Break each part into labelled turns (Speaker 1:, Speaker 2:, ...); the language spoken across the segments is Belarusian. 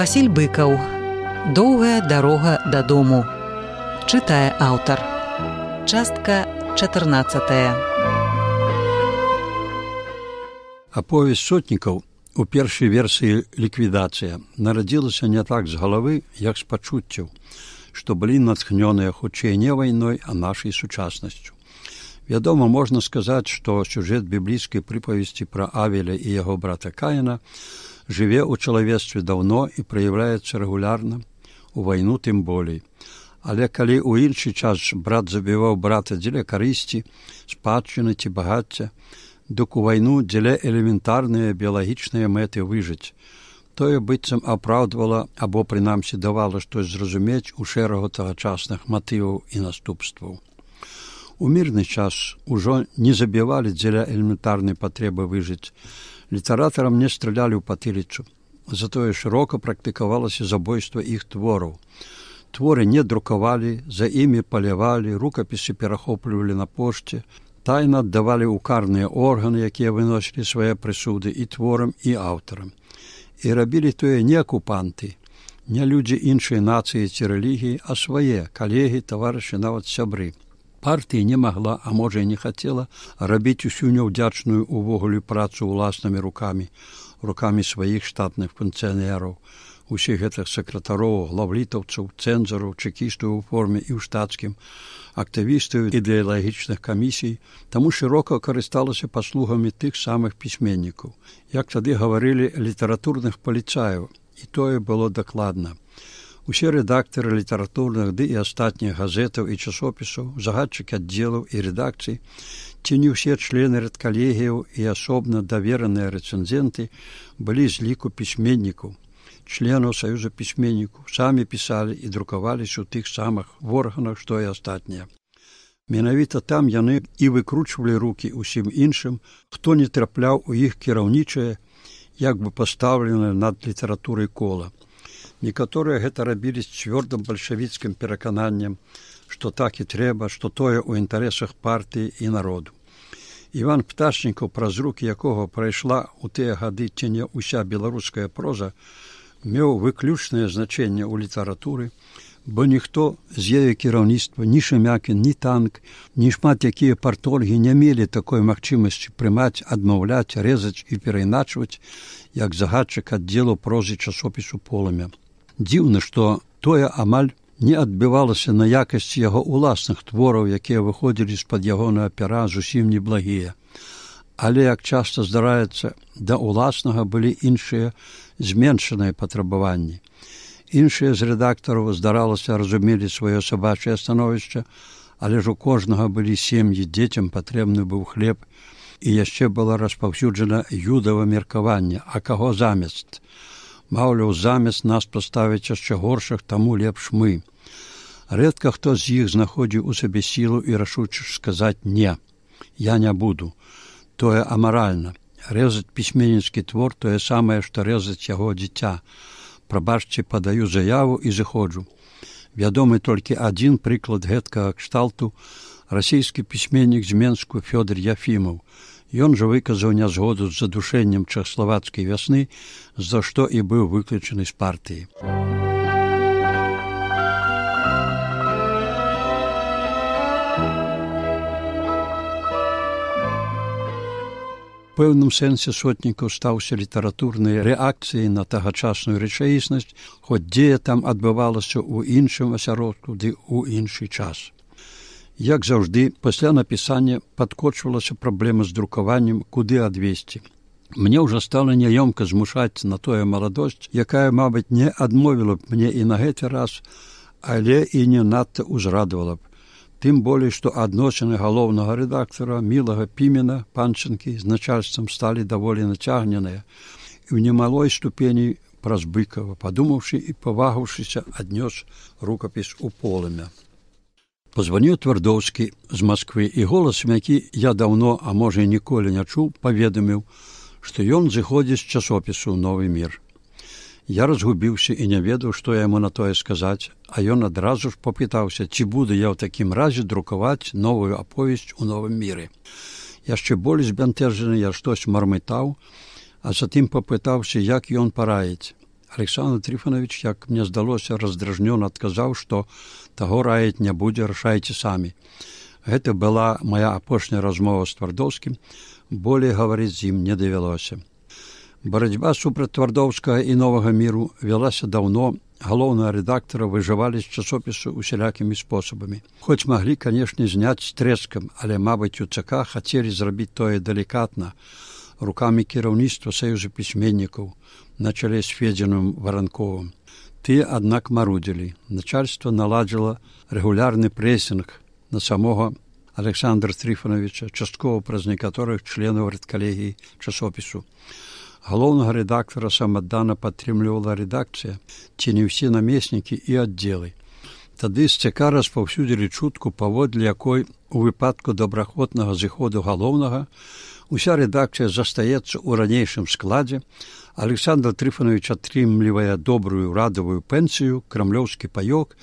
Speaker 1: Васіль Быкаў. Доўгая дарога дадому. Чытае аўтар. Частка 14.
Speaker 2: Аповесць сотнікаў у першай версіі ліквідацыя нарадзілася не так з галавы, як з пачуццяў, што былі натхнёныя хутчэй не вайной, а нашай сучаснасцю. Вядома, можна сказаць, што сюжэт біблійскай прыпавесці пра Авеля і яго брата Каіна жыве ў чалавецтве даўно і праяўляецца рэгулярна, у вайну тым болей. Але калі ў іншы час брат забіваў брата дзеля карысці, спадчыны ці багацця, дык у вайну дзеля элементарныя біялагічныя мэты выжыць. Тое быццам апраўдвала або прынамсі давала штось зразумець у шэрагу тагачасных матываў і наступстваў. У мірны час ужо не забівалі дзеля элементарнай патрэбы выжыць. Літаратарам не стралялі ў патыліцу. Затое шырока практыкавалася забойства іх твораў. Творы не друкавалі, за імі палявалі, рукапісы перахоплівалі на пошце, тайна аддавалі ў карныя органы, якія выносілі свае прысуды і творам, і аўтарам. І рабілі тое не акупанты, не людзі іншай нацыі ці рэлігіі, а свае калегі, таварышы, нават сябры. Партыя не магла, а можа і не хацела, рабіць усю няўдзячную увогуле працу ўласнымі рукамі сваіх штатных функцыянераў, усіх гэтых сакратароў, главлітаўцаў, цэнзараў, чэкістаў у форме і ў штатскім, актывістаў ідэалагічных камісій, таму шырока карысталася паслугамі тых самых пісьменнікаў. Як тады гаварылі, літаратурных паліцаяў, і тое было дакладна. Усе рэдактары літаратурных ды і астатніх газетаў і часопісаў, загадчыкі аддзелаў і рэдакцый, ці не ўсе члены рэдкалегіяў і асобна давераныя рэцэнзенты былі з ліку пісьменнікаў, членаў Саюза пісьменнікаў, самі пісалі і друкаваліся ў тых самых органах, што і астатнія. Менавіта там яны і выкручвалі рукі ўсім іншым, хто не трапляў у іх кіраўнічае, як бы пастаўленае над літаратурай кола. Некаторыя гэта рабілі з цвёрдым бальшавіцкім перакананнем, што так і трэба, што тое ў інтарэсах партыі і народу. Іван Пташнікаў, праз рукі якога прайшла ў тыя гады ці не ўся беларуская проза, меў выключнае значэнне ў літаратуры, бо ніхто з яе кіраўніцтва, ні Шемякін, ні Танк, ні шмат якія партольгі не мелі такой магчымасці прымаць, адмаўляць, рэзаць і перайначваць, як загадчык аддзелу прозы часопісу «Полымя». Дзіўна, што тое амаль не адбівалася на якасці яго ўласных твораў, якія выходзілі з-пад ягонага пера зусім неблагія. Але, як часта здараецца, да ўласнага былі іншыя зменшаныя патрабаванні. Іншыя з рэдактараў, здаралася, разумелі сваё сабачае становішча, але ж у кожнага былі сем'і, дзецям патрэбны быў хлеб, і яшчэ была распаўсюджана юдава меркаванне, а каго замест? Маўляў, замест нас паставяць яшчэ горшых, таму лепш мы. Рэдка хто з іх знаходзіў у сабе сілу і рашучасць сказаць «не, я не буду». Тое амаральна. Рэзаць пісьменніцкі твор тое самае, што рэзаць яго дзіця. Прабачце, падаю заяву і зыходжу. Вядомы толькі адзін прыклад гэткага кшталту – расійскі пісьменнік з Менску Фёдор Яфімаў. Ён жа выказаў нязгоду з задушэннем чэхаславацкай вясны, за што і быў выключаны з партыі. У пэўным сэнсе сотнікаў стаўся літаратурнай рэакцыяй на тагачасную рэчаіснасць, хоць дзея там адбывалася ў іншым асяродку ды ў іншы час. Як заўжды, пасля напісання падкочвалася праблема з друкаваннем, куды адвесці. Мне ўжо стала няёмка змушаць на тое маладосць, якая, мабыць, не адмовіла б мне і на гэты раз, але і не надта ўзрадавала б. Тым болей, што адносіны галоўнага рэдактара Мілага Пімена, Панчынкі, з начальствам сталі даволі нацягненыя і ў немалой ступені праз Быкава, падумаўшы і павагаўшыся, аднёс рукапіс у «Полымя». Позваніў Твардоўскі з Масквы, і голасам, які я даўно, а можа і ніколі не чуў, паведаміў, што ён зыходзіць з часопісу «Новы мір». Я разгубіўся і не ведаў, што яму на тое сказаць, а ён адразу ж попытаўся, ці буду я ў такім разе друкаваць новую аповесць у «Новым міры». Яшчэ болей збянтэжаны я штось мармытаў, а затым попытаўся, як ён параіць. Александр Трифонович, як мне здалося, раздражнёна адказаў, што таго раіць не будзе, рашайце самі. Гэта была моя апошняя размова з Твардоўскім, болей гаварыць з ім не давялося. Барацьба супраць Твардоўскага і новага міру вялася даўно, галоўнага рэдактара выжывалі з часопісу усялякімі спосабамі. Хоць маглі, канешне, зняць з трэскам, але, мабыць, у ЦК хацелі зрабіць тое далікатна, рукамі кіраўніцтва Саюза пісьменнікаў на чале з Федзіным Варанковым. Тыя, аднак, марудзілі. Начальства наладзіла рэгулярны прэсінг на самога Александра Трифоновича, часткова праз некаторых членаў рэдкалегіі часопісу. Галоўнага рэдактара самаддана падтрымлівала рэдакцыя, ці не ўсе намеснікі і аддзелы. Тады з ЦК распаўсюдзілі чутку, паводле якой у выпадку добраахвотнага зыходу галоўнага уся рэдакцыя застаецца ў ранейшым складзе, Александр Трифонович атрымлівае добрую радавую пенсію, крамлёўскі паёк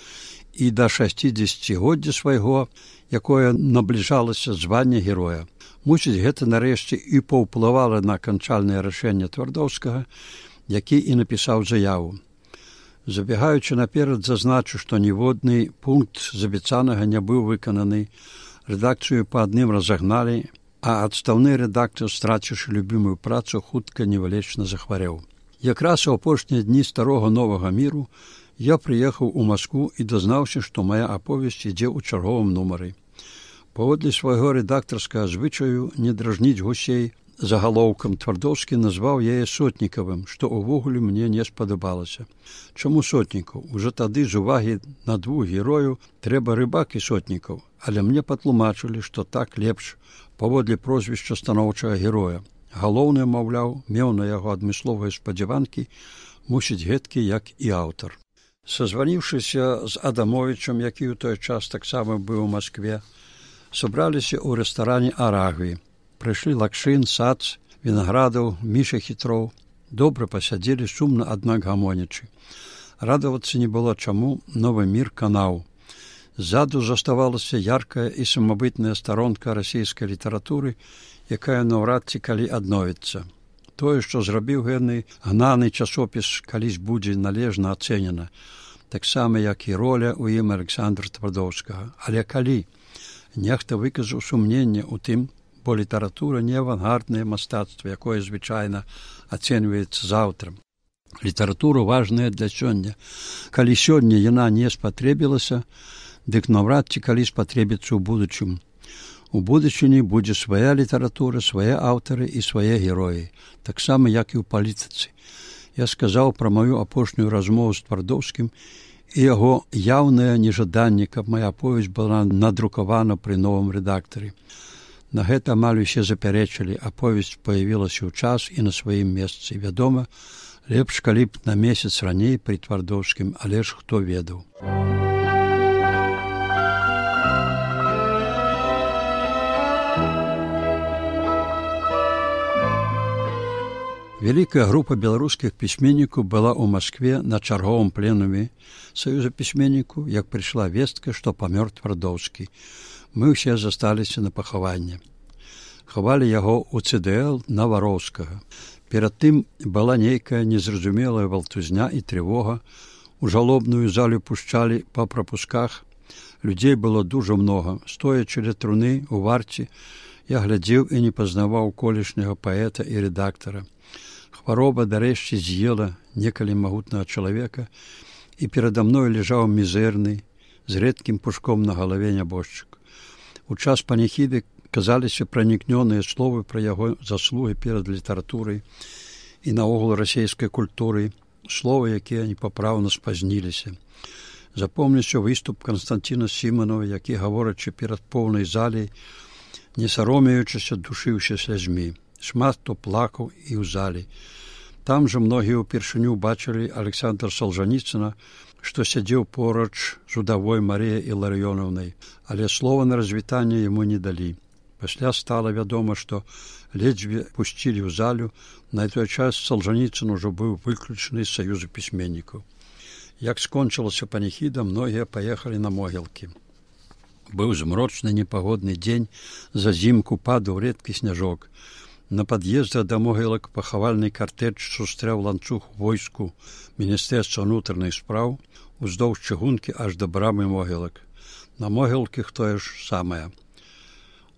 Speaker 2: і да 60годдзя свайго, якое набліжалася звання героя. Мусіць, гэта нарэшце і паўплывала на канчальнае рашэнне Твардоўскага, які і напісаў заяву. Забегаючы наперад, зазначу, што ніводны пункт з абяцанага не быў выкананы, рэдакцыю па адным разагналі, а адстаўны рэдактар, страціўшы любімую працу, хутка невылечна захварэў. Якраз у апошнія дні старога новага міру я прыехаў у Маскву і дазнаўся, што моя аповесць ідзе ў чарговым нумары. Паводле свайго рэдактарскага звычаю не дражніць гусей загалоўкам, Твардоўскі назваў яе Сотнікавым, што ўвогуле мне не спадабалася. Чаму Сотнікаў? Ужо тады з увагі на двух герою трэба Рыбак і Сотнікаў, але мне патлумачылі, што так лепш паводле прозвішча станоўчага героя. Галоўнае, маўляў, меў на яго адмысловыя спадзяванкі, мусіць гэткі, як і аўтар. Сазваніўшыся з Адамовічам, які ў той час таксама быў у Маскве, сабраліся ў рэстаране «Арагві». Прыйшлі Лакшын, Сац, Вінаградаў, Міша Хітроў. Добра пасядзелі, сумна, аднак гамонячы. Радавацца не было чаму, новы мір канаў. Ззаду заставалася яркая і самабытная старонка расійскай літаратуры, якая наўрад ці калі адновіцца. Тое, што зрабіў гэны гнаны часопіс, калісь будзе належна ацэнена, таксама, як і роля ў ім Александра Твардоўскага. Але калі? Нехта выказаў сумненне ў тым, бо літаратура не авангарднае мастацтва, якое звычайна ацэньваецца заўтрам. Літаратура важная для сёння. Калі сёння яна не спатрэбілася, дык наўрад ці калі спатрэбіцца ў будучым. У будучыні будзе свая літаратура, свае аўтары і свае героі, таксама, як і ў палітыцы. Я сказаў пра маю апошнюю размову з Твардоўскім і яго яўнае нежаданне, каб моя аповесць была надрукавана пры новым рэдактары. На гэта амаль усе запярэчылі, аповесць паявілася ў час і на сваім месцы. Вядома, лепш, калі б на месяц раней пры Твардоўскім, але ж хто ведаў. Вялікая група беларускіх пісьменнікаў была ў Маскве на чарговым пленуме Саюза пісьменнікаў, як прыйшла вестка, што памёр Твардоўскі. Мы ўсе засталіся на пахаванне. Хавалі яго ў ЦДЛ на Вароўскага. Перад тым была нейкая незразумелая валтузня і трывога. У жалобную залю пушчалі па прапусках. Людзей было дужа многа. Стоячы ля труны у варце, я глядзеў і не пазнаваў колішняга паэта і рэдактара. Хвароба дарэшце з'ела некалі магутнага чалавека, і перада мною ляжаў мізэрны, з рэдкім пушком на галаве нябожчык. У час паніхіды казаліся пранікнёныя словы пра яго заслугі перад літаратурай і наогул расейскай культурай, словы, якія непапраўна спазніліся. Запомніўся выступ Канстанціна Сіманова, які, гаворачы перад поўнай залей, не саромеючыся, душыўся слязьмі. Шмат хто плакаў і ў залі. Там жа многія ўпершыню бачылі Александра Солжаніцына, што сядзеў поруч з удавой Марыяй Іларыёнаўнай, але слова на развітанне яму не далі. Пасля стала вядома, што ледзьве пусцілі ў залю, на той час Солжаніцын ужо быў выключаны з Саюза пісьменнікаў. Як скончылася паніхіда, многія паехалі на могілкі. Быў змрочны непагодны дзень, зазімку падаў рэдкі сняжок. На пад'ездах да могілак пахавальны картэж сустрэў ланцуг войску Міністэрства ўнутраных спраў уздоўж чыгункі аж да брамы могілак. На могілках тое ж самае.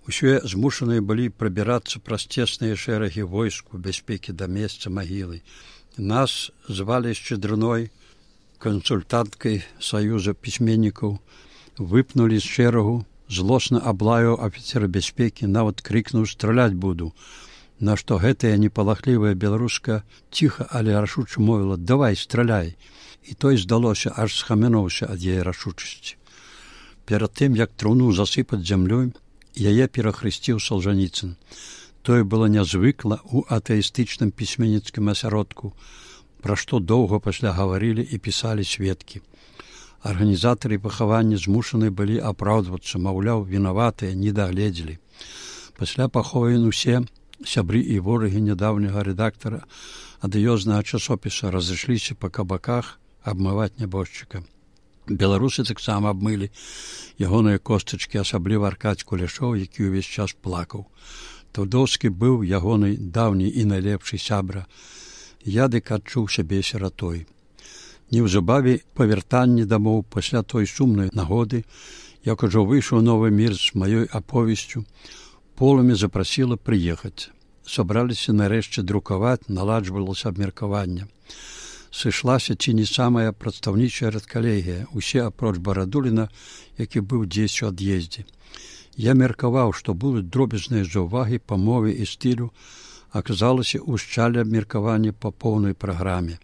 Speaker 2: Усе змушаныя былі прабірацца праз цесныя шэрагі войску бяспекі да месца магілы. Нас звалі Шчедрыной, кансультанткай Саюза пісьменнікаў, выпнулі з шэрагу, злосна аблаяў афіцера бяспекі, нават крыкнуў «Страляць буду», на што гэтая непалахлівая беларуска ціха, але рашуча мовіла «Давай, страляй». І той, здалося, аж схамянуўся ад яе рашучасці. Перад тым, як труну засыпаць зямлёй, яе перахрысціў Салжаніцын. Тое было нязвыкла ў атэістычным пісьменніцкім асяродку, пра што доўга пасля гаварылі і пісалі сведкі. Арганізатары пахавання змушаны былі апраўдвацца, маўляў, вінаватыя, не дагледзелі. Пасля пахован усе сябры і ворагі нядаўняга рэдактара адыёзнага часопіса разышліся па кабаках абмываць нябожчыка. Беларусы таксама абмылі ягоныя костачкі, асабліва Аркадзь Кулешоў, які ўвесь час плакаў. Твардоўскі быў ягоны даўні і найлепшы сябра. Я дык адчуў сябе сіратой. Неўзабаве па вяртанні дамоў пасля той сумнай нагоды, як ужо выйшаў новы мір з маёй аповесцю, полымя запрасіла прыехаць. Сабраліся нарэшце друкаваць, наладжвалася абмеркаванне. Сышлася ці не самая прадстаўнічая рэдкалегія, усе апроч Барадуліна, які быў дзесь у ад'ездзе. Я меркаваў, што будуць дробязныя заўвагі па мове і стылю, аказалася ўшчалі абмеркаванне па поўнай праграме.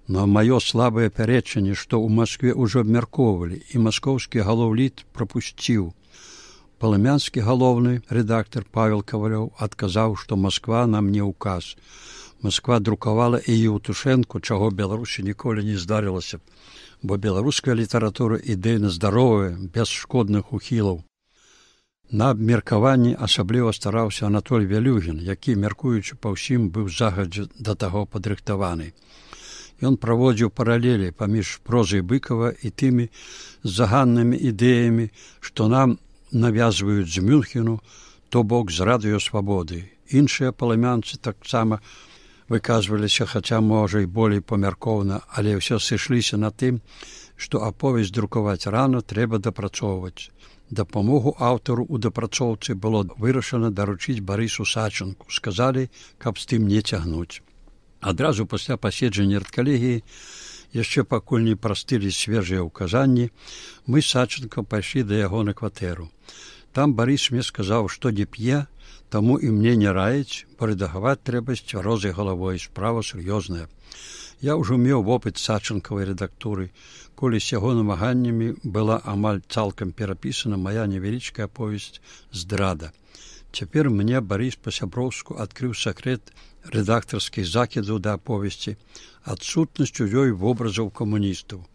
Speaker 2: Но маё слабае пярэчанне, што ў Маскве ўжо абмяркоўвалі, і маскоўскі галоўліт прапусціў. Палымянскі галоўны рэдактар Павел Кавалёў адказаў, што Масква нам не ўказ. Масква друкавала і Еўтушэнку, чаго Беларусі ніколі не здарылася, бо беларуская літаратура ідэйна здаровая, без шкодных ухілаў. На абмеркаванні асабліва стараўся Анатоль Вялюгін, які, мяркуючы па ўсім, быў загадзя да таго падрыхтаваны. Ён праводзіў паралелі паміж прозай Быкава і тымі заганнымі ідэямі, што нам навязваюць з Мюнхену, то бок з радыёсвабоды. Іншыя палымянцы таксама выказваліся, хаця, можа, і болей памяркоўна, але ўсё сышліся на тым, што аповесць друкаваць рана трэба дапрацоўваць. Дапамогу аўтару ў дапрацоўцы было вырашана даручыць Барысу Сачынку. Сказалі, каб з тым не цягнуць. Адразу пасля паседжання рэдкалегіі, яшчэ пакуль не прастылі свежыя ўказанні, мы з Сачынкам пайшлі да яго на кватэру. Там Барыс мне сказаў, што не п'е, таму і мне не раіць, бо рэдагаваць трэба з цвярозай галавой, справа сур'ёзная. Я ўжо меў вопыт Сачынкавай рэдактуры, колі з яго намаганнямі была амаль цалкам перапісана мая невялічкая аповесць «Здрада». Цяпер мне Барыс па-сяброўску адкрыў сакрэт рэдактарскіх закідаў да аповесці, адсутнасць у ёй вобразаў камуністаў.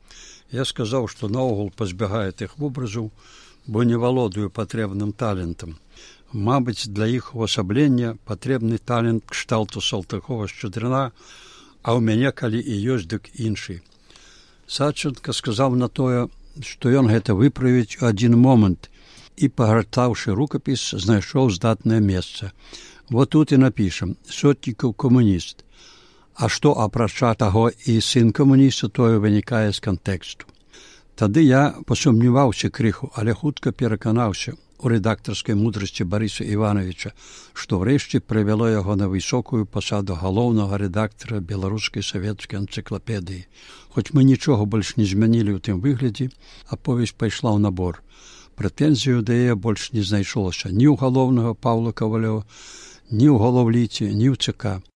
Speaker 2: Я сказаў, што наогул пазбягаю тых вобразаў, бо не валодаю патрэбным талентам. Мабыць, для іх увасаблення патрэбны талент кшталту Салтыкова-Шчедрына, а ў мяне, калі і ёсць, дык іншы. Сачынка сказаў на тое, што ён гэта выправіць у адзін момант і, пагартаўшы рукапіс, знайшоў здатнае месца. Вот тут і напішам «Сотнікаў камуніст». А што, апрача таго, і сын камуніста, тое вынікае з кантэксту. Тады я пасумняваўся крыху, але хутка пераканаўся у рэдактарскай мудрасці Барыса Івановича, што ўрэшце прывяло яго на высокую пасаду галоўнага рэдактара беларускай савецкай энцыклапедыі. Хоць мы нічога больш не змянілі ў тым выглядзе, аповесць пайшла ў набор. Прэтэнзію да яе больш не знайшлося ні ў галоўнага Паўла Кавалёва, ні ў галоўліце, ні ў ЦК.